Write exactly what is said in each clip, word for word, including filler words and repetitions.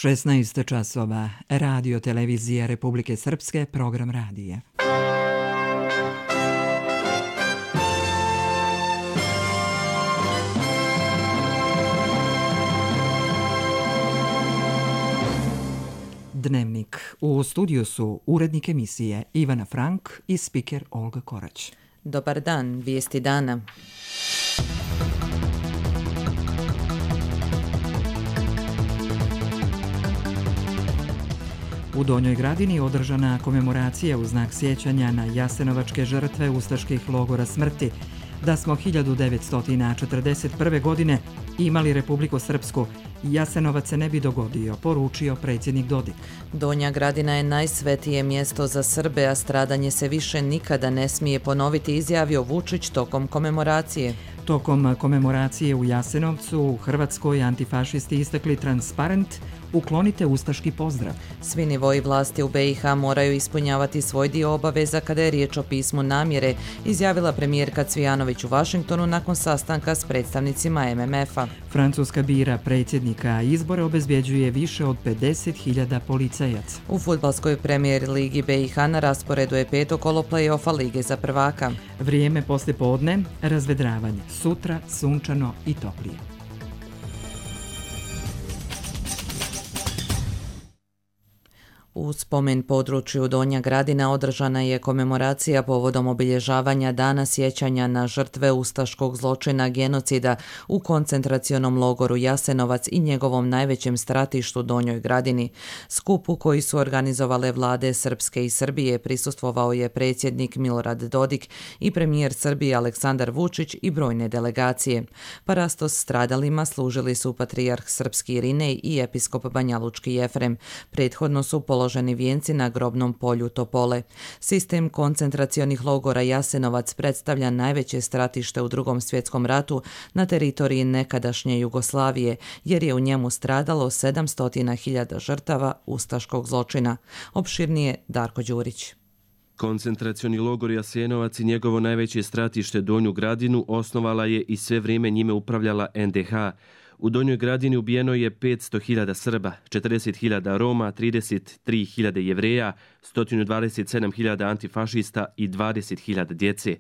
šesnaest časova, Radio Televizija Republike Srpske, program radija. Dnevnik. U studiju su urednik emisije Ivana Frank i spiker Olga Korać. Dobar dan, vijesti dana. U Donjoj Gradini održana komemoracija u znak sjećanja na jasenovačke žrtve ustaških logora smrti. Da smo hiljadu devetsto četrdeset prve. godine imali Republiku Srpsku, Jasenovac se ne bi dogodio, poručio predsjednik Dodik. Donja Gradina je najsvetije mjesto za Srbe, a stradanje se više nikada ne smije ponoviti, izjavio Vučić tokom komemoracije. Tokom komemoracije u Jasenovcu u Hrvatskoj antifašisti istakli transparent "Uklonite ustaški pozdrav". Svi nivoji vlasti u B i H moraju ispunjavati svoj dio obaveza kada je riječ o pismu namjere, izjavila premijerka Cvijanović u Vašingtonu nakon sastanka s predstavnicima M M F-a. Francuska bira predsjednika, a izbore obezbjeđuje više od pedeset hiljada policajaca. U fudbalskoj premijer ligi B i H na rasporedu je peto kolo play-offa Lige za prvaka. Vrijeme poslije podne, razvedravanje. Sutra sunčano i toplije. U spomen području Donja Gradina održana je komemoracija povodom obilježavanja Dana sjećanja na žrtve ustaškog zločina genocida u koncentracionom logoru Jasenovac i njegovom najvećem stratištu Donjoj Gradini. Skupu koji su organizovale vlade Srpske i Srbije prisustvovao je predsjednik Milorad Dodik i premijer Srbije Aleksandar Vučić i brojne delegacije. Parastos stradalima služili su patrijarh srpski Irinej i episkop banjalučki Jefrem. Prethodno su položeni vijenci na grobnom polju Topole. Sistem koncentracionih logora Jasenovac predstavlja najveće stratište u Drugom svjetskom ratu na teritoriji nekadašnje Jugoslavije, jer je u njemu stradalo sedamsto hiljada žrtava ustaškog zločina. Opširnije Darko Đurić. Koncentracioni logor Jasenovac i njegovo najveće stratište Donju Gradinu osnovala je i sve vrijeme njime upravljala N D H. U Donjoj Gradini ubijeno je petsto hiljada Srba, četrdeset hiljada Roma, trideset tri hiljade Jevreja, sto dvadeset sedam hiljada antifašista i dvadeset hiljada djece.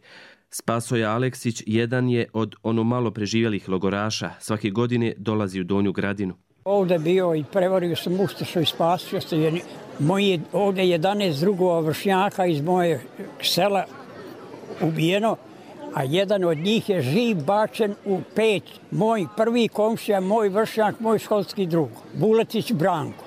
Spasoje Aleksić jedan je od ono malo preživjelih logoraša. Svake godine dolazi u Donju Gradinu. Ovdje bio i prevario sam ustašu i spasio se. Moji ovdje jedanaest drugova vršnjaka iz moje sela ubijeno, a jedan od njih je živ bačen u peć. Moj prvi komšija, moj vršnjak, moj školski drug, Buletić Branko.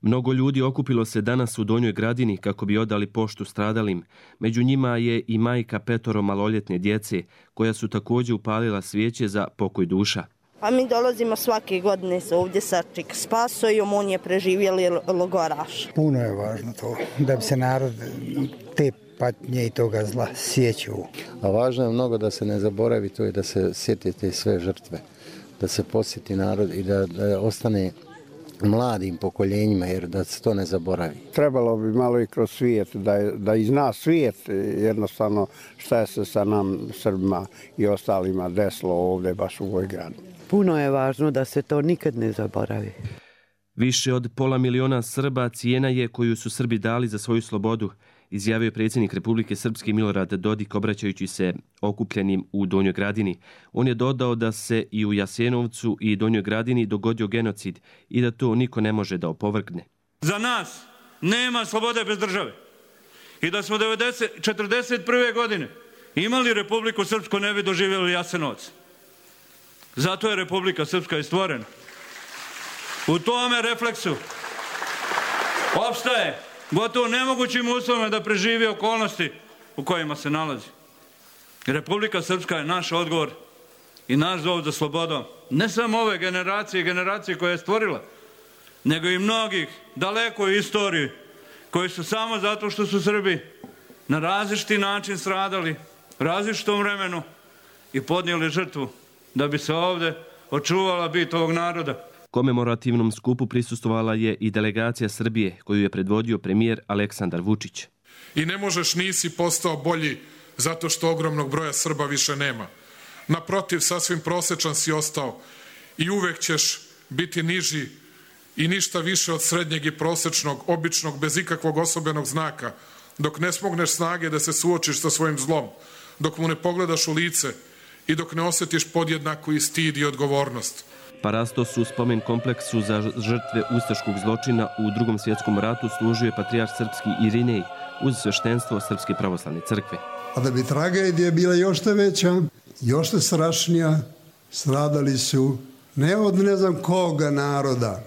Mnogo ljudi okupilo se danas u Donjoj Gradini kako bi odali poštu stradalim. Među njima je i majka petoro maloljetne djece, koja su također upalila svijeće za pokoj duša. A mi dolazimo svake godine se ovdje sa Čik Spasojom, on je preživjeli logoraš. Puno je važno to, da bi se narod te patnje i toga zla sjećao. A važno je mnogo da se ne zaboravi to i da se sjetite sve žrtve, da se posjeti narod i da, da ostane mladim pokoljenjima, jer da se to ne zaboravi. Trebalo bi malo i kroz svijet, da, da i zna svijet jednostavno šta je se sa nam Srbima i ostalima desilo ovdje baš u ovoj gradu. Puno je važno da se to nikad ne zaboravi. Više od pola miliona Srba cijena je koju su Srbi dali za svoju slobodu, izjavio je predsjednik Republike Srpske Milorad Dodik obraćajući se okupljenim u Donjoj Gradini. On je dodao da se i u Jasenovcu i Donjoj Gradini dogodio genocid i da to niko ne može da opovrgne. Za nas nema slobode bez države. I da smo četrdeset prve. godine imali Republiku Srpsku, ne bi doživjeli Jasenovac. Zato je Republika Srpska i stvorena. U tome refleksu opstaje gotovo nemogućim uslovima da preživi okolnosti u kojima se nalazi. Republika Srpska je naš odgovor i naš zov za slobodom. Ne samo ove generacije i generacije koje je stvorila, nego i mnogih daleko u istoriji koji su samo zato što su Srbi na različiti način stradali, u različitom vremenu i podnijeli žrtvu da bi se ovdje očuvala bit ovog naroda. Komemorativnom skupu prisustvovala je i delegacija Srbije, koju je predvodio premijer Aleksandar Vučić. I ne možeš, nisi postao bolji zato što ogromnog broja Srba više nema. Naprotiv, sasvim prosječan si ostao i uvek ćeš biti niži i ništa više od srednjeg i prosečnog, običnog, bez ikakvog osobenog znaka, dok ne smogneš snage da se suočiš sa svojim zlom, dok mu ne pogledaš u lice i dok ne osjetiš podjednaku i stid i odgovornost. Parastos u spomen kompleksu za žrtve ustaškog zločina u Drugom svjetskom ratu služio je patrijarh srpski Irinej uz sveštenstvo Srpske pravoslavne crkve. A da bi tragedija bila još te veća, još te strašnija, stradali su ne od ne znam koga naroda,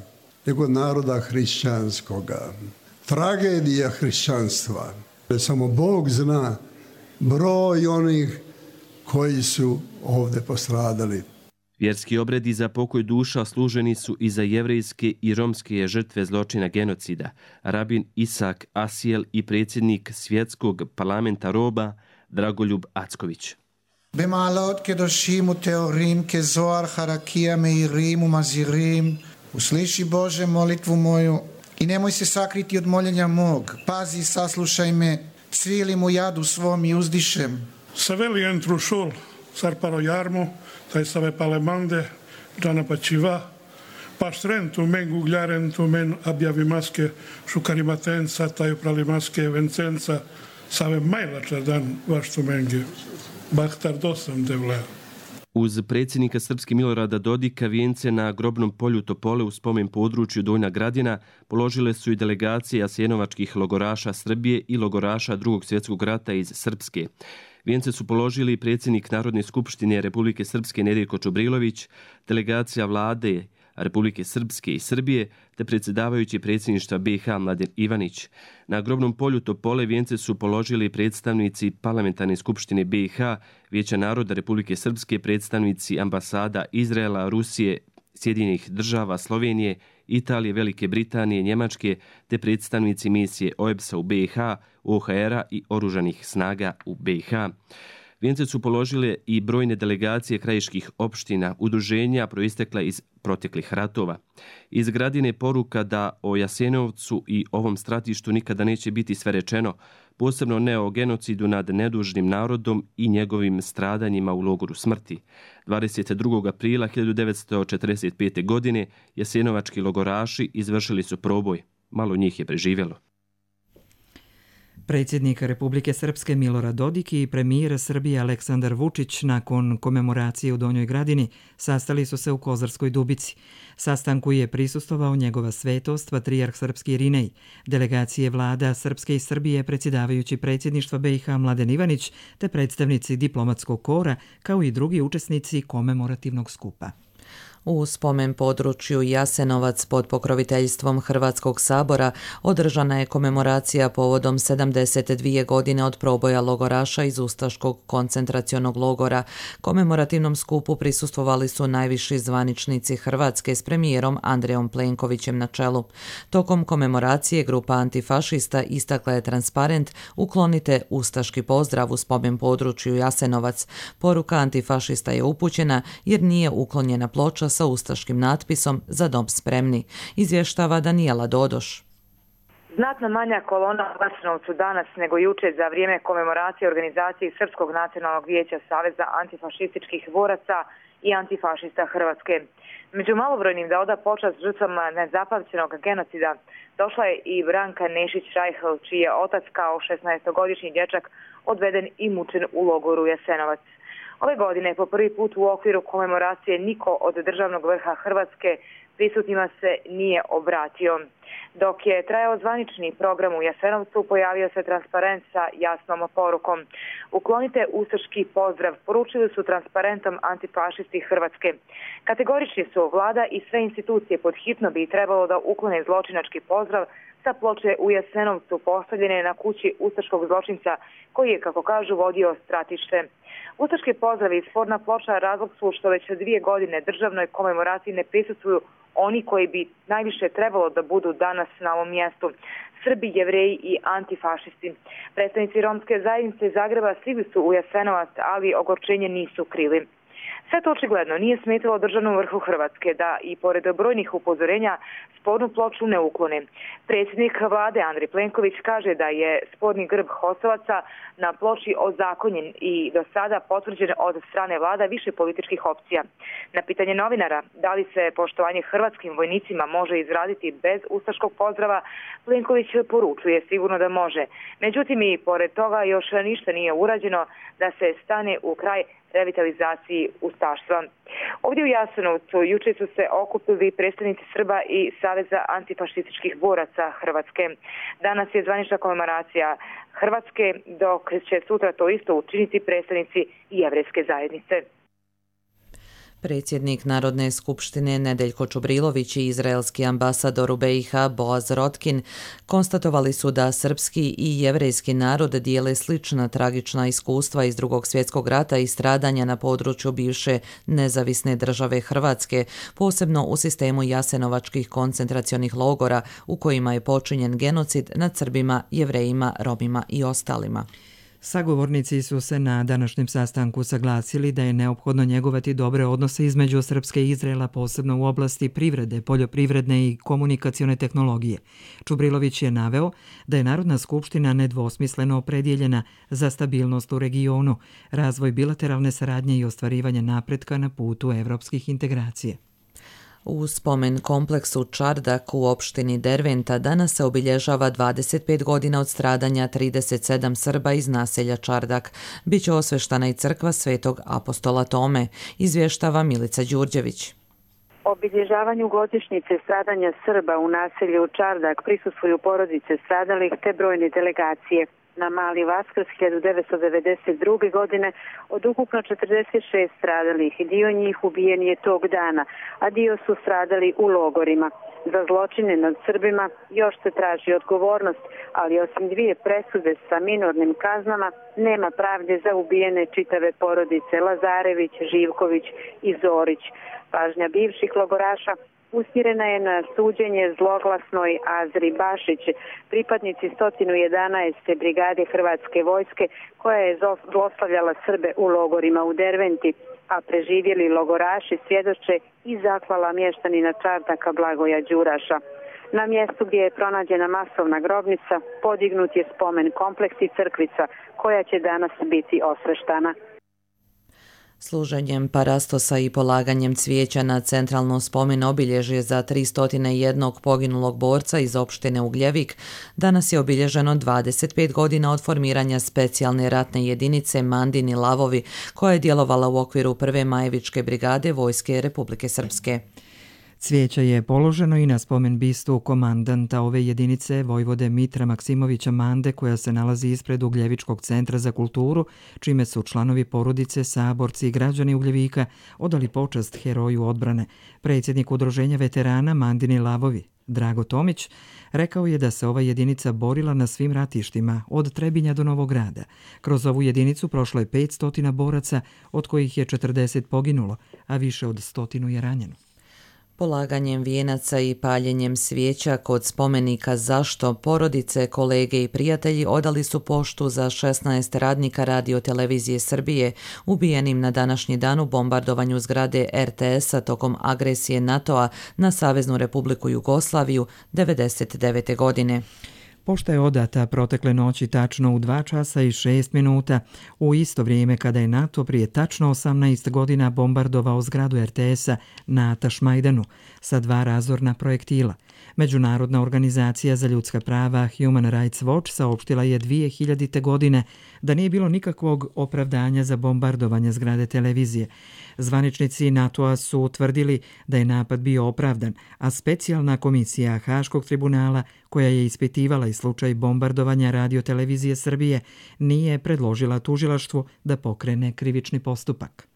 nego od naroda hrišćanskoga. Tragedija hrišćanstva. Samo Bog zna broj onih koji su ovdje postradali. Vjerski obredi za pokoj duša služeni su i za jevrejske i romske žrtve zločina genocida. Rabin Isak Asiel i predsjednik svjetskog parlamenta roba Dragoljub Acković. במעלות קדושים וטהורים כזוהר חרקיה מאירים ומזהירים usliši Bože molitvu moju i nemoj se sakriti od moljenja mog. Pazi, saslušaj me, cvilim u jadu svom i uzdišem. Saveli entru šul, sarparo jarmu, taj save palemande, džana pačiva, paštrentu men gugljarentu men abjavi maske, šukarimatenca, taj uprali maske, vencenca, save majlača dan vaštu menge. Bahtar dosam devle. Uz predsjednika Srpske Milorada Dodika vijence na grobnom polju Topole u spomen području Donja Gradina položile su i delegacije jasenovačkih logoraša Srbije i logoraša Drugog svjetskog rata iz Srpske. Vijence su položili predsjednik Narodne skupštine Republike Srpske Nedeljko Čobrilović, delegacija vlade Republike Srpske i Srbije, te predsjedavajući predsjedništva B i H Mladen Ivanić. Na grobnom polju Topole vijence su položili predstavnici Parlamentarne skupštine B i H, Vijeća naroda Republike Srpske, predstavnici ambasada Izraela, Rusije, Sjedinjenih država, Slovenije, Italije, Velike Britanije, Njemačke, te predstavnici misije O E B S-a u B i H, O H R-a i oružanih snaga u B i H. Vijence su položile i brojne delegacije krajiških opština, udruženja proistekla iz proteklih ratova. Iz Gradine poruka da o Jasenovcu i ovom stratištu nikada neće biti sve rečeno, posebno ne o genocidu nad nedužnim narodom i njegovim stradanjima u logoru smrti. dvadeset drugog aprila hiljadu devetsto četrdeset pete. godine jasenovački logoraši izvršili su proboj. Malo njih je preživjelo. Predsjednik Republike Srpske Milorad Dodik i premijer Srbije Aleksandar Vučić nakon komemoracije u Donjoj Gradini sastali su se u Kozarskoj Dubici. Sastanku je prisustvovao njegova svetost patrijarh srpski Irinej, delegacije vlada Srpske i Srbije, predsjedavajući predsjedništva B i H Mladen Ivanić te predstavnici diplomatskog kora kao i drugi učesnici komemorativnog skupa. U spomen području Jasenovac pod pokroviteljstvom Hrvatskog sabora održana je komemoracija povodom sedamdeset dvije godine od proboja logoraša iz Ustaškog koncentracionog logora. Komemorativnom skupu prisustvovali su najviši zvaničnici Hrvatske s premijerom Andrejom Plenkovićem na čelu. Tokom komemoracije grupa antifašista istakla je transparent "Uklonite ustaški pozdrav" u spomen području Jasenovac. Poruka antifašista je upućena jer nije uklonjena ploča sa ustaškim natpisom "Za dom spremni", izvještava Danijela Dodoš. Znatno manja kolona u Jasenovcu danas nego juče za vrijeme komemoracije organizacije Srpskog nacionalnog vijeća Saveza antifašističkih boraca i antifašista Hrvatske. Među malobrojnim da oda počast žrtvama nezapamćenog genocida došla je i Branka Nešić-Rajhl, čiji je otac kao šesnaestogodišnji dječak odveden i mučen u logoru Jasenovac. Ove godine po prvi put u okviru komemoracije niko od državnog vrha Hrvatske prisutnima se nije obratio. Dok je trajao zvanični program u Jasenovcu, pojavio se transparent sa jasnom porukom. "Uklonite ustaški pozdrav", poručili su transparentom antifašisti Hrvatske. Kategorični su vlada i sve institucije pod hitno bi trebalo da uklone zločinački pozdrav sa ploče u Jasenovcu postavljene na kući ustaškog zločinca koji je, kako kažu, vodio stratište. Ustaški pozdrav i sporna ploča razlog su što već dvije godine državnoj komemoraciji ne prisustvuju oni koji bi najviše trebalo da budu danas na ovom mjestu: Srbi, Jevreji i antifašisti. Predstavnici romske zajednice Zagreba stigli su u Jasenovac, ali ogorčenje nisu krili. Sve to očigledno nije smetalo državnom vrhu Hrvatske da i pored brojnih upozorenja spornu ploču ne uklone. Predsjednik vlade Andrej Plenković kaže da je sporni grb Hosovaca na ploči ozakonjen i do sada potvrđen od strane vlada više političkih opcija. Na pitanje novinara da li se poštovanje hrvatskim vojnicima može izraditi bez ustaškog pozdrava, Plenković poručuje sigurno da može. Međutim, i pored toga još ništa nije urađeno da se stane u kraj revitalizaciji ustaštva. Ovdje u Jasenovcu juče su se okupili predstavnici Srba i Saveza antifašističkih boraca Hrvatske. Danas je zvanična komemoracija Hrvatske, dok će sutra to isto učiniti predstavnici Jevrejske zajednice. Predsjednik Narodne skupštine Nedeljko Čubrilović i izraelski ambasador u B i H Boaz Rotkin konstatovali su da srpski i jevrejski narod dijele slična tragična iskustva iz Drugog svjetskog rata i stradanja na području bivše nezavisne države Hrvatske, posebno u sistemu jasenovačkih koncentracionih logora u kojima je počinjen genocid nad Srbima, Jevrejima, Romima i ostalima. Sagovornici su se na današnjem sastanku saglasili da je neophodno njegovati dobre odnose između Srpske i Izraela, posebno u oblasti privrede, poljoprivredne i komunikacione tehnologije. Čubrilović je naveo da je Narodna skupština nedvosmisleno opredjeljena za stabilnost u regionu, razvoj bilateralne saradnje i ostvarivanje napretka na putu evropskih integracija. U spomen kompleksu Čardak u opštini Derventa danas se obilježava dvadeset pet godina od stradanja trideset sedam Srba iz naselja Čardak. Biće osveštana i crkva Svetog apostola Tome, izvještava Milica Đurđević. Obilježavanju godišnjice stradanja Srba u naselju Čardak prisustvuju porodice stradalih te brojne delegacije. Na Mali Vaskrs hiljadu devetsto devedeset druge. godine od ukupno četrdeset šest stradalih, dio njih ubijen je tog dana, a dio su stradali u logorima. Za zločine nad Srbima još se traži odgovornost, ali osim dvije presude sa minornim kaznama nema pravde za ubijene čitave porodice Lazarević, Živković i Zorić. Pažnja bivših logoraša usmjerena je na suđenje zloglasnoj Azri Bašić, pripadnici sto jedanaeste brigade Hrvatske vojske koja je zlostavljala Srbe u logorima u Derventi, a preživjeli logoraši svjedoče i zahvala mještanina Čardaka Blagoja Đuraša. Na mjestu gdje je pronađena masovna grobnica podignut je spomen kompleks i crkvica koja će danas biti osveštana. Služenjem parastosa i polaganjem cvijeća na centralno spomen obilježje za tristo jedan poginulog borca iz opštine Ugljevik, danas je obilježeno dvadeset pet godina od formiranja specijalne ratne jedinice Mandini Lavovi, koja je djelovala u okviru prve Majevičke brigade Vojske Republike Srpske. Cvijeće je položeno i na spomen bistu komandanta ove jedinice vojvode Mitra Maksimovića Mande, koja se nalazi ispred Ugljevičkog centra za kulturu, čime su članovi porodice, saborci i građani Ugljevika odali počast heroju odbrane. Predsjednik udruženja veterana Mandini Lavovi, Drago Tomić, rekao je da se ova jedinica borila na svim ratištima, od Trebinja do Novog Grada. Kroz ovu jedinicu prošlo je petsto boraca, od kojih je četrdeset poginulo, a više od stotinu je ranjeno. Polaganjem vijenaca i paljenjem svijeća kod spomenika Zašto porodice, kolege i prijatelji odali su poštu za šesnaest radnika Radio-televizije Srbije ubijenim na današnji dan u bombardovanju zgrade R T S-a tokom agresije NATO-a na Saveznu Republiku Jugoslaviju devedeset devete. godine. Pošta je odata protekle noći tačno u dva časa i šest minuta, u isto vrijeme kada je NATO prije tačno osamnaest godina bombardovao zgradu R T S-a na Tašmajdanu sa dva razorna projektila. Međunarodna organizacija za ljudska prava Human Rights Watch saopštila je dvije hiljadite. godine da nije bilo nikakvog opravdanja za bombardovanje zgrade televizije. Zvaničnici NATO-a su utvrdili da je napad bio opravdan, a specijalna komisija Haškog tribunala, koja je ispitivala i slučaj bombardovanja Radio-televizije Srbije, nije predložila tužilaštvu da pokrene krivični postupak.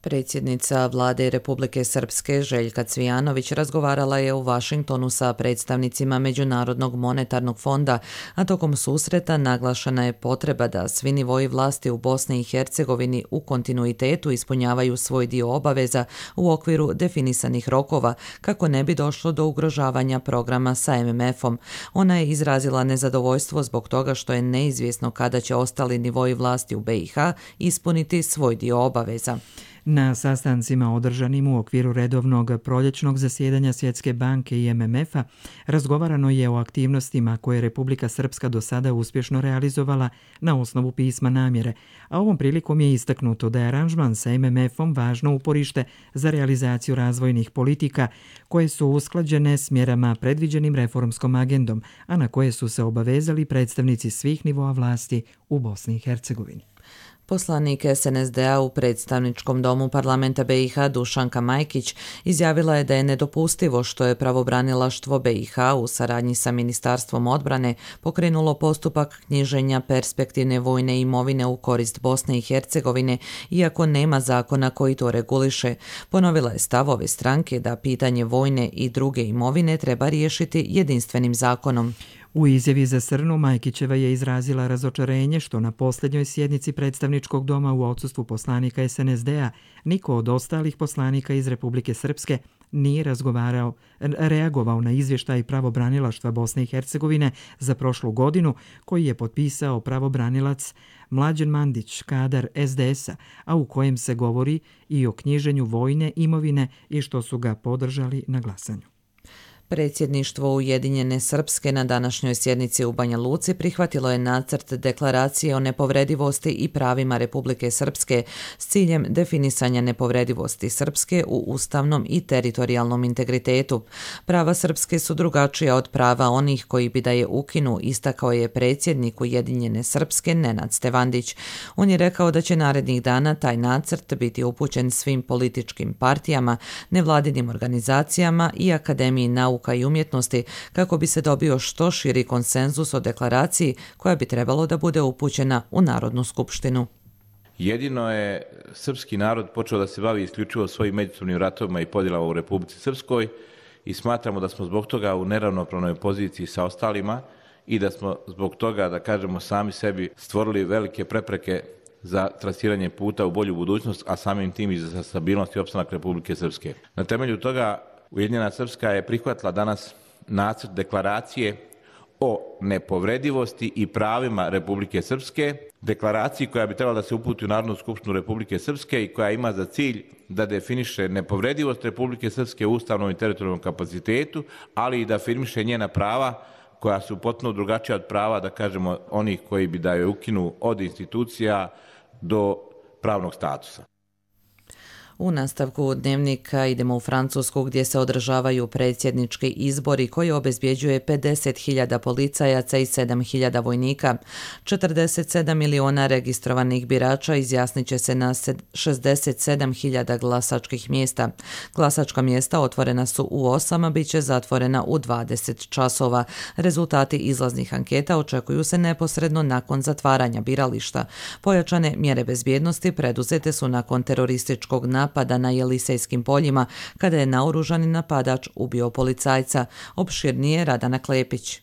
Predsjednica vlade Republike Srpske Željka Cvijanović razgovarala je u Vašingtonu sa predstavnicima Međunarodnog monetarnog fonda, a tokom susreta naglašena je potreba da svi nivoji vlasti u Bosni i Hercegovini u kontinuitetu ispunjavaju svoj dio obaveza u okviru definisanih rokova kako ne bi došlo do ugrožavanja programa sa em em efom. Ona je izrazila nezadovoljstvo zbog toga što je neizvjesno kada će ostali nivoji vlasti u be i ha ispuniti svoj dio obaveza. Na sastancima održanim u okviru redovnog proljećnog zasjedanja Svjetske banke i em em efa razgovarano je o aktivnostima koje Republika Srpska do sada uspješno realizovala na osnovu pisma namjere, a ovom prilikom je istaknuto da je aranžman sa em em efom važno uporište za realizaciju razvojnih politika koje su usklađene s mjerama predviđenim reformskom agendom, a na koje su se obavezali predstavnici svih nivoa vlasti u Bosni i Hercegovini. Poslanik es en es de a u predstavničkom domu parlamenta be i ha Dušanka Majkić izjavila je da je nedopustivo što je pravobranilaštvo be i ha u saradnji sa Ministarstvom odbrane pokrenulo postupak knjiženja perspektivne vojne imovine u korist Bosne i Hercegovine, iako nema zakona koji to reguliše. Ponovila je stav ove stranke da pitanje vojne i druge imovine treba riješiti jedinstvenim zakonom. U izjavi za Srnu Majkićeva je izrazila razočarenje što na posljednjoj sjednici predstavničkog doma u odsustvu poslanika es en es de a niko od ostalih poslanika iz Republike Srpske nije razgovarao, reagovao na izvještaj pravobranilaštva Bosne i Hercegovine za prošlu godinu koji je potpisao pravobranilac Mlađan Mandić, kadar es de es a, a u kojem se govori i o knjiženju vojne imovine i što su ga podržali na glasanju. Predsjedništvo Ujedinjene Srpske na današnjoj sjednici u Banja Luci prihvatilo je nacrt deklaracije o nepovredivosti i pravima Republike Srpske s ciljem definisanja nepovredivosti Srpske u ustavnom i teritorijalnom integritetu. Prava Srpske su drugačija od prava onih koji bi da je ukinu, istakao je predsjednik Ujedinjene Srpske Nenad Stevandić. On je rekao da će narednih dana taj nacrt biti upućen svim političkim partijama, nevladinim organizacijama i Akademiji nauka i umjetnosti kako bi se dobio što širi konsenzus o deklaraciji koja bi trebalo da bude upućena u Narodnu skupštinu. Jedino je srpski narod počeo da se bavi isključivo svojim međusobnim ratovima i podjelama u Republici Srpskoj i smatramo da smo zbog toga u neravnopravnoj poziciji sa ostalima i da smo zbog toga, da kažemo, sami sebi stvorili velike prepreke za trasiranje puta u bolju budućnost, a samim tim i za stabilnost i opstanak Republike Srpske. Na temelju toga Ujedinjena Srpska je prihvatila danas nacrt deklaracije o nepovredivosti i pravima Republike Srpske, deklaraciji koja bi trebala da se uputi u Narodnu skupštinu Republike Srpske i koja ima za cilj da definiše nepovredivost Republike Srpske u ustavnom i teritorijalnom kapacitetu, ali i da afirmiše njena prava koja su potpuno drugačija od prava, da kažemo, onih koji bi da joj ukinu od institucija do pravnog statusa. U nastavku dnevnika idemo u Francusku gdje se održavaju predsjednički izbori koji obezbjeđuje pedeset hiljada policajaca i sedam hiljada vojnika. četrdeset sedam miliona registrovanih birača izjasnit će se na šezdeset sedam hiljada glasačkih mjesta. Glasačka mjesta otvorena su u osam, a bit će zatvorena u dvadeset časova. Rezultati izlaznih anketa očekuju se neposredno nakon zatvaranja birališta. Pojačane mjere bezbjednosti preduzete su nakon terorističkog napada napada na Jelisejskim poljima kada je naoružani napadač ubio policajca. Opširnije Radana Klepić.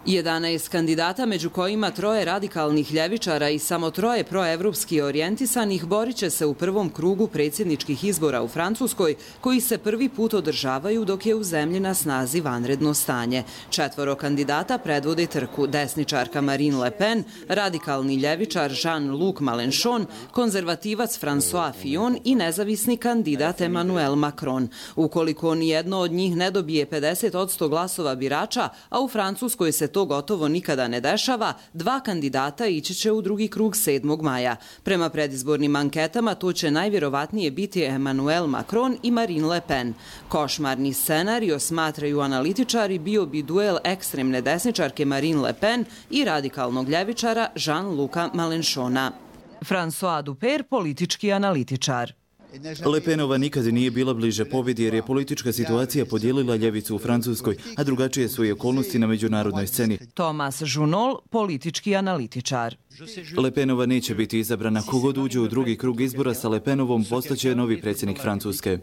jedanaest kandidata, među kojima troje radikalnih ljevičara i samo troje proevropski orijentisanih, borit će se u prvom krugu predsjedničkih izbora u Francuskoj, koji se prvi put održavaju dok je u zemlji na snazi vanredno stanje. Četvoro kandidata predvode trku: desničarka Marine Le Pen, radikalni ljevičar Jean-Luc Mélenchon, konzervativac François Fillon i nezavisni kandidat Emmanuel Macron. Ukoliko nijedno od njih ne dobije pedeset posto glasova birača, a u Francuskoj se to gotovo nikada ne dešava, dva kandidata ići će u drugi krug sedmog maja. Prema predizbornim anketama to će najvjerovatnije biti Emmanuel Macron i Marine Le Pen. Košmarni scenario, smatraju analitičari, bio bi duel ekstremne desničarke Marine Le Pen i radikalnog ljevičara Jean-Luca Mélenchona. François Duper, politički analitičar. Le Penova nikad nije bila bliže pobjedi jer je politička situacija podijelila ljevicu u Francuskoj, a drugačije su i okolnosti na međunarodnoj sceni. Tomas Žunol, politički analitičar. Le Penova neće biti izabrana. Kogod uđe u drugi krug izbora sa Le Penovom postaće novi predsjednik Francuske.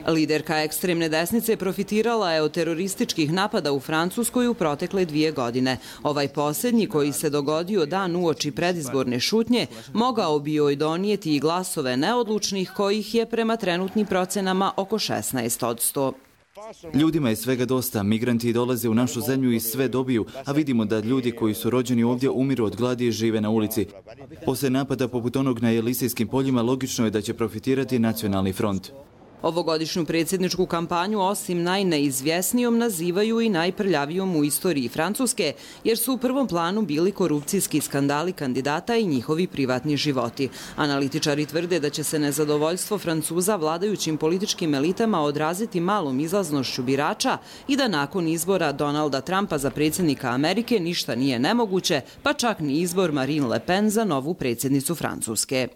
Liderka ekstremne desnice profitirala je od terorističkih napada u Francuskoj u protekle dvije godine. Ovaj posljednji, koji se dogodio dan uoči predizborne šutnje, mogao bi joj donijeti i glasove neodlučnih, kojih je prema trenutnim procenama oko šesnaest posto. Ljudima je svega dosta. Migranti dolaze u našu zemlju i sve dobiju, a vidimo da ljudi koji su rođeni ovdje umiru od gladi i žive na ulici. Poslije napada poput onog na Elisejskim poljima logično je da će profitirati Nacionalni front. Ovogodišnju predsjedničku kampanju osim najneizvjesnijom nazivaju i najprljavijom u istoriji Francuske, jer su u prvom planu bili korupcijski skandali kandidata i njihovi privatni životi. Analitičari tvrde da će se nezadovoljstvo Francuza vladajućim političkim elitama odraziti malom izlaznošću birača i da nakon izbora Donalda Trumpa za predsjednika Amerike ništa nije nemoguće, pa čak ni izbor Marine Le Pen za novu predsjednicu Francuske.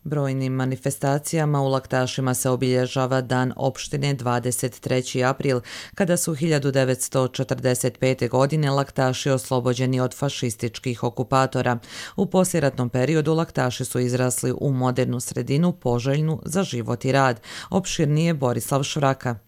Brojnim manifestacijama u Laktašima se obilježava Dan opštine dvadeset treći april, kada su hiljadu devetsto četrdeset pete. godine Laktaši oslobođeni od fašističkih okupatora. U poslijeratnom periodu Laktaši su izrasli u modernu sredinu poželjnu za život i rad. Opširnije Borislav Švraka.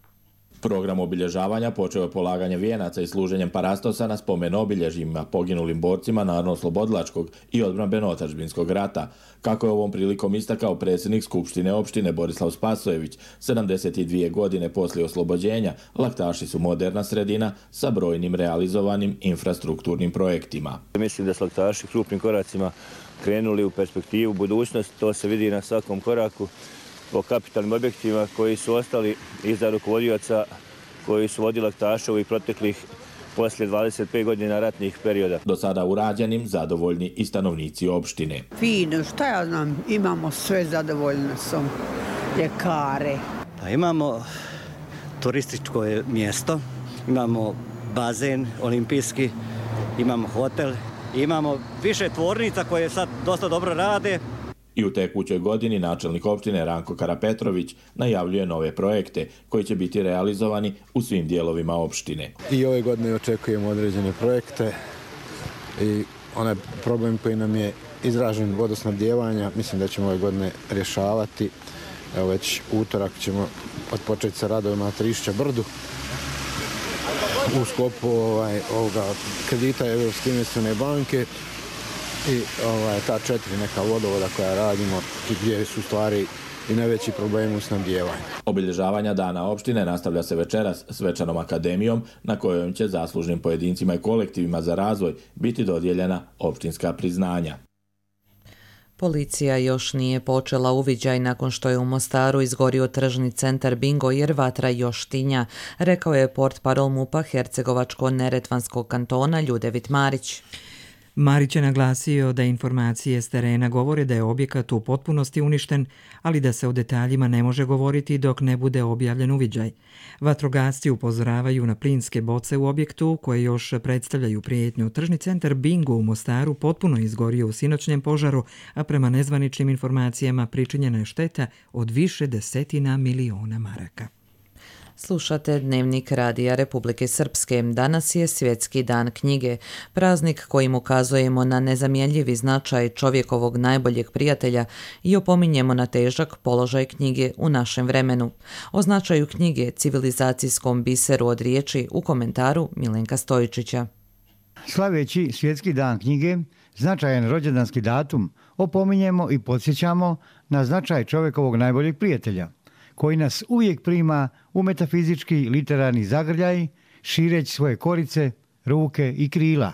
Program obilježavanja počeo je polaganje vijenaca i služenjem parastosa na spomen obilježjima poginulim borcima Narodno-oslobodilačkog i odbrambeno-otadžbinskog rata. Kako je ovom prilikom istakao predsjednik Skupštine opštine Borislav Spasojević, sedamdeset dvije godine poslije oslobođenja, Laktaši su moderna sredina sa brojnim realizovanim infrastrukturnim projektima. Mislim da su Laktaši krupnim koracima krenuli u perspektivu budućnost, to se vidi na svakom koraku, po kapitalnim objektima koji su ostali iza rukovodioca koji su vodili Laktaše ovih proteklih poslije dvadeset pet godina ratnih perioda. Do sada urađenim zadovoljni i stanovnici opštine. Fino, šta ja znam, imamo sve zadovoljne sam, ljekare. Pa imamo turističko mjesto, imamo bazen olimpijski, imamo hotel, imamo više tvornica koje sad dosta dobro rade. I u tekućoj godini načelnik opštine Ranko Karapetrović najavljuje nove projekte koji će biti realizovani u svim dijelovima opštine. I ove godine očekujemo određene projekte i onaj problem koji nam je izražen vodosnabdijevanja, mislim da ćemo ove godine rješavati. Evo već utorak ćemo odpočeti sa radovima na Trišća brdu u sklopu ovaj, ovoga kredita Europske investicione banke. I ovaj, ta četiri neka vodovoda koja radimo, gdje su stvari i najveći problemi u snabdijevanju. Obilježavanja dana opštine nastavlja se večeras svečanom akademijom na kojoj će zaslužnim pojedincima i kolektivima za razvoj biti dodijeljena opštinska priznanja. Policija još nije počela uviđaj nakon što je u Mostaru izgorio tržni centar Bingo jer vatra još tinja, rekao je portparol MUP-a Hercegovačko-Neretvanskog kantona Ljudevit Marić. Marić je naglasio da informacije s terena govore da je objekat u potpunosti uništen, ali da se o detaljima ne može govoriti dok ne bude objavljen uviđaj. Vatrogasci upozoravaju na plinske boce u objektu koje još predstavljaju prijetnju. Tržni centar Bingo u Mostaru potpuno izgorio u sinoćnjem požaru, a prema nezvaničnim informacijama pričinjena je šteta od više desetina miliona maraka. Slušate Dnevnik Radija Republike Srpske. Danas je Svjetski dan knjige, praznik kojim ukazujemo na nezamjenjivi značaj čovjekovog najboljeg prijatelja i opominjemo na težak položaj knjige u našem vremenu. O značaju knjige, civilizacijskom biseru od riječi, u komentaru Milenka Stojičića. Slaveći Svjetski dan knjige, značajan rođendanski datum, opominjemo i podsjećamo na značaj čovjekovog najboljeg prijatelja, koji nas uvijek prima u metafizički literarni zagrljaj, šireći svoje korice, ruke i krila.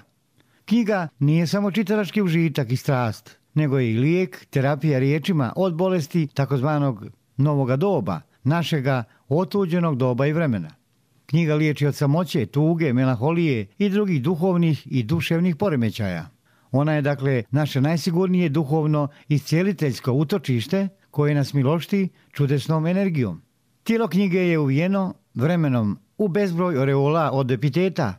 Knjiga nije samo čitalački užitak i strast, nego je i lijek, terapija riječima od bolesti takozvanog novoga doba, našega otuđenog doba i vremena. Knjiga liječi od samoće, tuge, melanholije i drugih duhovnih i duševnih poremećaja. Ona je dakle naše najsigurnije duhovno iscijeliteljsko utočište koje nas milošti čudesnom energijom. Tijelo knjige je uvijeno vremenom u bezbroj oreola od epiteta,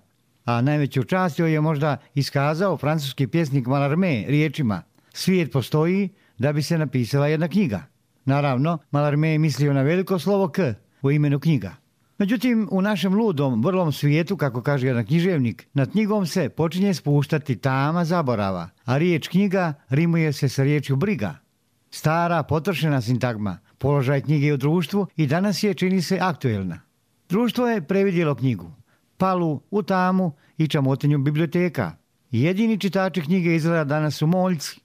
a najveću čast joj je možda iskazao francuski pjesnik Mallarmé riječima: svijet postoji da bi se napisala jedna knjiga. Naravno, Mallarmé je mislio na veliko slovo K u imenu knjiga. Međutim, u našem ludom, vrlom svijetu, kako kaže jedan književnik, nad knjigom se počinje spuštati tama zaborava, a riječ knjiga rimuje se sa riječju briga. Stara, potrošena sintagma, položaj knjige u društvu i danas je, čini se, aktuelna. Društvo je previdjelo knjigu, palu u tamu i čamotenju biblioteka. Jedini čitači knjige izgleda danas su moljci.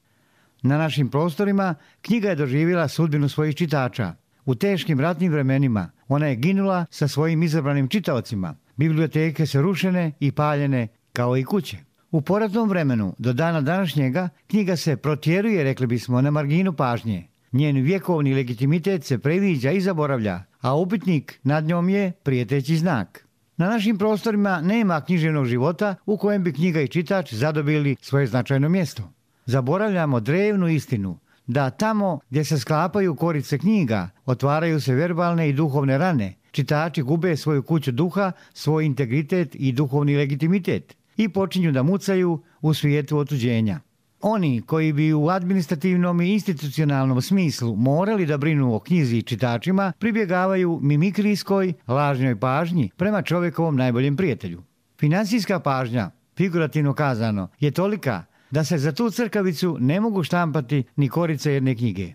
Na našim prostorima knjiga je doživjela sudbinu svojih čitača. U teškim ratnim vremenima ona je ginula sa svojim izabranim čitaocima. Biblioteke su rušene i paljene kao i kuće. U poratnom vremenu do dana današnjega knjiga se protjeruje, rekli bismo, na marginu pažnje. Njen vjekovni legitimitet se previđa i zaboravlja, a upitnik nad njom je prijeteći znak. Na našim prostorima nema književnog života u kojem bi knjiga i čitač zadobili svoje značajno mjesto. Zaboravljamo drevnu istinu da tamo gdje se sklapaju korice knjiga otvaraju se verbalne i duhovne rane. Čitači gube svoju kuću duha, svoj integritet i duhovni legitimitet i počinju da mucaju u svijetu otuđenja. Oni koji bi u administrativnom i institucionalnom smislu morali da brinu o knjizi i čitačima pribjegavaju mimikrijskoj, lažnoj pažnji prema čovjekovom najboljem prijatelju. Financijska pažnja, figurativno kazano, je tolika da se za tu crkavicu ne mogu štampati ni korice jedne knjige.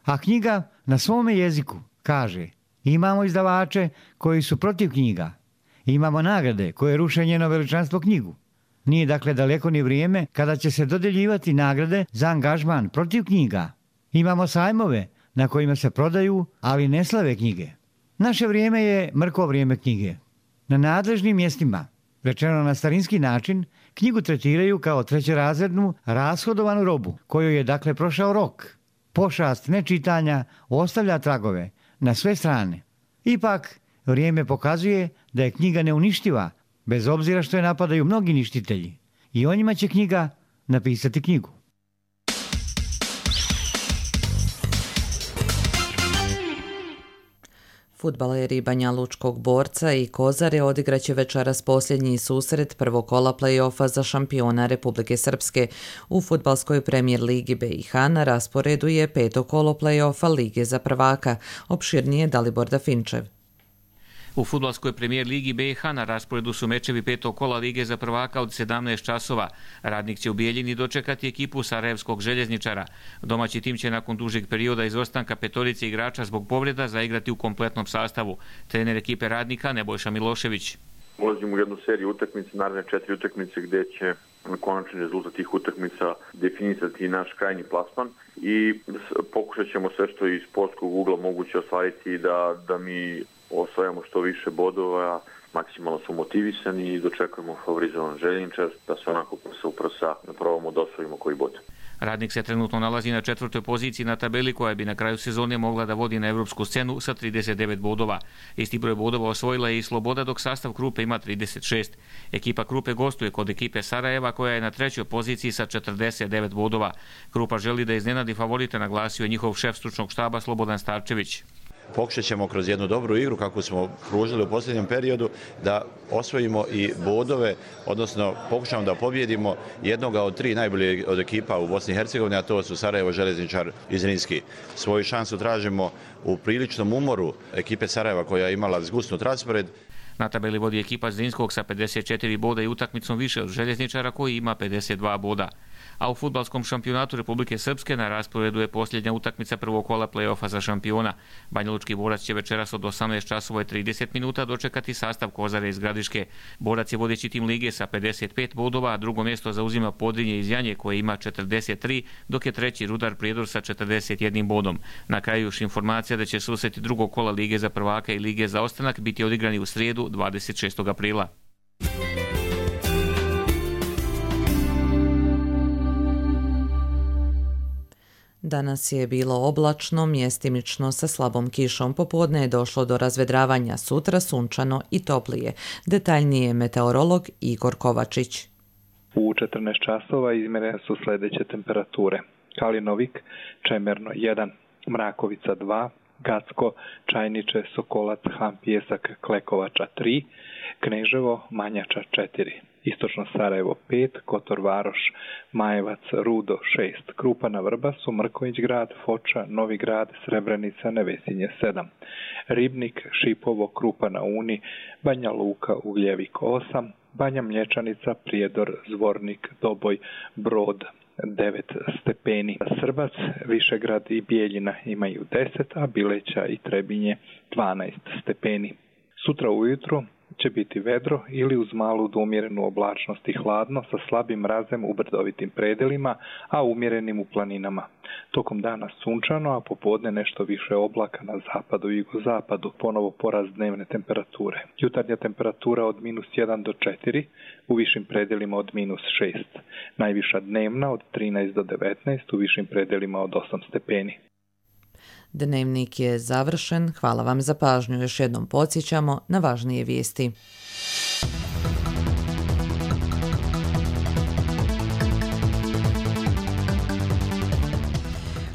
A knjiga na svome jeziku kaže: imamo izdavače koji su protiv knjiga, imamo nagrade koje ruše njeno veličanstvo knjigu. Nije dakle daleko ni vrijeme kada će se dodjeljivati nagrade za angažman protiv knjiga. Imamo sajmove na kojima se prodaju, ali ne slave knjige. Naše vrijeme je mrko vrijeme knjige. Na nadležnim mjestima, rečeno na starinski način, knjigu tretiraju kao trećerazrednu rashodovanu robu, kojoj je dakle prošao rok. Pošast nečitanja ostavlja tragove na sve strane. Ipak, vrijeme pokazuje da je knjiga neuništiva, bez obzira što je napadaju mnogi ništitelji. I o njima će knjiga napisati knjigu. Fudbaleri Banja Lučkog Borca i Kozare odigraće večeras posljednji susret prvog kola play-offa za šampiona Republike Srpske. U fudbalskoj premijer ligi B i H na rasporedu je peto kolo play-offa Lige za prvaka. Opširnije Dalibor Dafinčev. U fudbalskoj premijer ligi B i H na rasporedu su mečevi petog kola Lige za prvaka od sedamnaest časova. Radnik će u Bijeljini dočekati ekipu Sarajevskog željezničara. Domaći tim će nakon dužeg perioda izostanka petorice igrača zbog povreda zaigrati u kompletnom sastavu. Trener ekipe Radnika Nebojša Milošević. Ulazimo u jednu seriju utakmice, naravno četiri utakmice gdje će konačni rezultat tih utakmica definisati naš krajnji plasman i pokušat ćemo sve što iz sportskog ugla moguće ostvariti da, da mi osvajamo što više bodova, maksimalno su motivisani i dočekujemo favorizovan željeničar da se onako prsa u prsa probamo da osvojimo koji bod. Radnik se trenutno nalazi na četvrtoj poziciji na tabeli koja bi na kraju sezone mogla da vodi na evropsku scenu sa trideset devet bodova. Isti broj bodova osvojila je i Sloboda dok sastav Krupe ima trideset šest. Ekipa Krupe gostuje kod ekipe Sarajeva koja je na trećoj poziciji sa četrdeset devet bodova. Krupa želi da iznenadi favorite, naglasio je njihov šef stručnog štaba Slobodan Starčević. Pokušat ćemo kroz jednu dobru igru, kako smo pružili u posljednjem periodu, da osvojimo i bodove, odnosno pokušamo da pobjedimo jednoga od tri najbolje od ekipa u Bosni i Hercegovini, a to su Sarajevo, Željezničar i Zrinski. Svoju šansu tražimo u priličnom umoru ekipe Sarajeva koja je imala zgusnut raspored. Na tabeli vodi ekipa Zrinskog sa pedeset četiri boda i utakmicom više od Željezničara koji ima pedeset dva boda. A u fudbalskom šampionatu Republike Srpske na rasporedu je posljednja utakmica prvog kola play-offa za šampiona. Banja Lučki Borac će večeras od osamnaest časova i trideset minuta dočekati sastav Kozare iz Gradiške. Borac je vodeći tim lige sa pedeset pet bodova, a drugo mjesto zauzima Podrinje iz Janje koje ima četrdeset tri, dok je treći Rudar Prijedor sa četrdeset jedan bodom. Na kraju još informacija da će susreti drugog kola Lige za prvaka i Lige za ostanak biti odigrani u srijedu dvadeset šestog aprila. Danas je bilo oblačno, mjestimično sa slabom kišom. Popodne je došlo do razvedravanja, sutra sunčano i toplije. Detaljnije meteorolog Igor Kovačić. U četrnaest časova izmjerene su sljedeće temperature. Kalinovik, Čemerno jedan, Mrakovica dva, Gacko, Čajniče, Sokolac, Han Pjesak, Klekovača tri, Kneževo, Manjača četiri, Istočno Sarajevo pet, Kotor Varoš, Majevac, Rudo šest, Krupa na Vrbasu, Mrković grad, Foča, Novi grad, Srebrenica, Nevesinje sedam, Ribnik, Šipovo, Krupa na Uni, Banja Luka, Ugljevik osam, Banja Mlječanica, Prijedor, Zvornik, Doboj, Brod devet stepeni. Srbac, Višegrad i Bijeljina imaju deset, a Bileća i Trebinje dvanaest stepeni. Sutra ujutro će biti vedro ili uz malu do umjerenu oblačnost i hladno sa slabim mrazem u brdovitim predelima, a umjerenim u planinama. Tokom dana sunčano, a popodne nešto više oblaka na zapadu i jugozapadu, ponovo porast dnevne temperature. Jutarnja temperatura od minus jedan do četiri, u višim predelima od minus šest. Najviša dnevna od trinaest do devetnaest, u višim predelima od osam stepeni. Dnevnik je završen. Hvala vam za pažnju. Još jednom podsjećamo na važnije vijesti.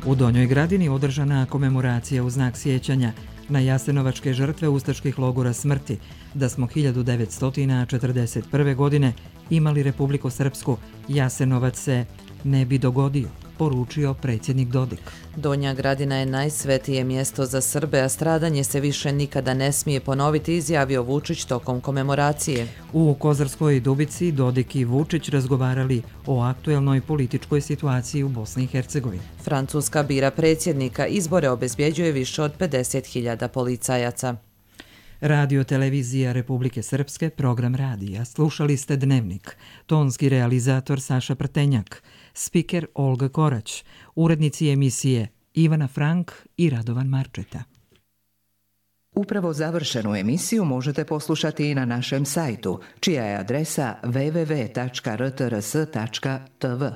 U Donjoj Gradini održana komemoracija u znak sjećanja na jasenovačke žrtve ustaških logora smrti, da smo hiljadu devetsto četrdeset prve. godine imali Republiku Srpsku, Jasenovac se ne bi dogodio, poručio predsjednik Dodik. Donja Gradina je najsvetije mjesto za Srbe, a stradanje se više nikada ne smije ponoviti, izjavio Vučić tokom komemoracije. U Kozarskoj Dubici Dodik i Vučić razgovarali o aktuelnoj političkoj situaciji u Bosni i Hercegovini. Francuska bira predsjednika, izbore obezbjeđuje više od pedeset hiljada policajaca. Radio televizija Republike Srpske, program radija. Slušali ste Dnevnik. Tonski realizator Saša Prtenjak, spiker Olga Korać, urednici emisije Ivana Frank i Radovan Marčeta. Upravo završenu emisiju možete poslušati i na našem sajtu, čija je adresa w w w tačka r t r s tačka t v.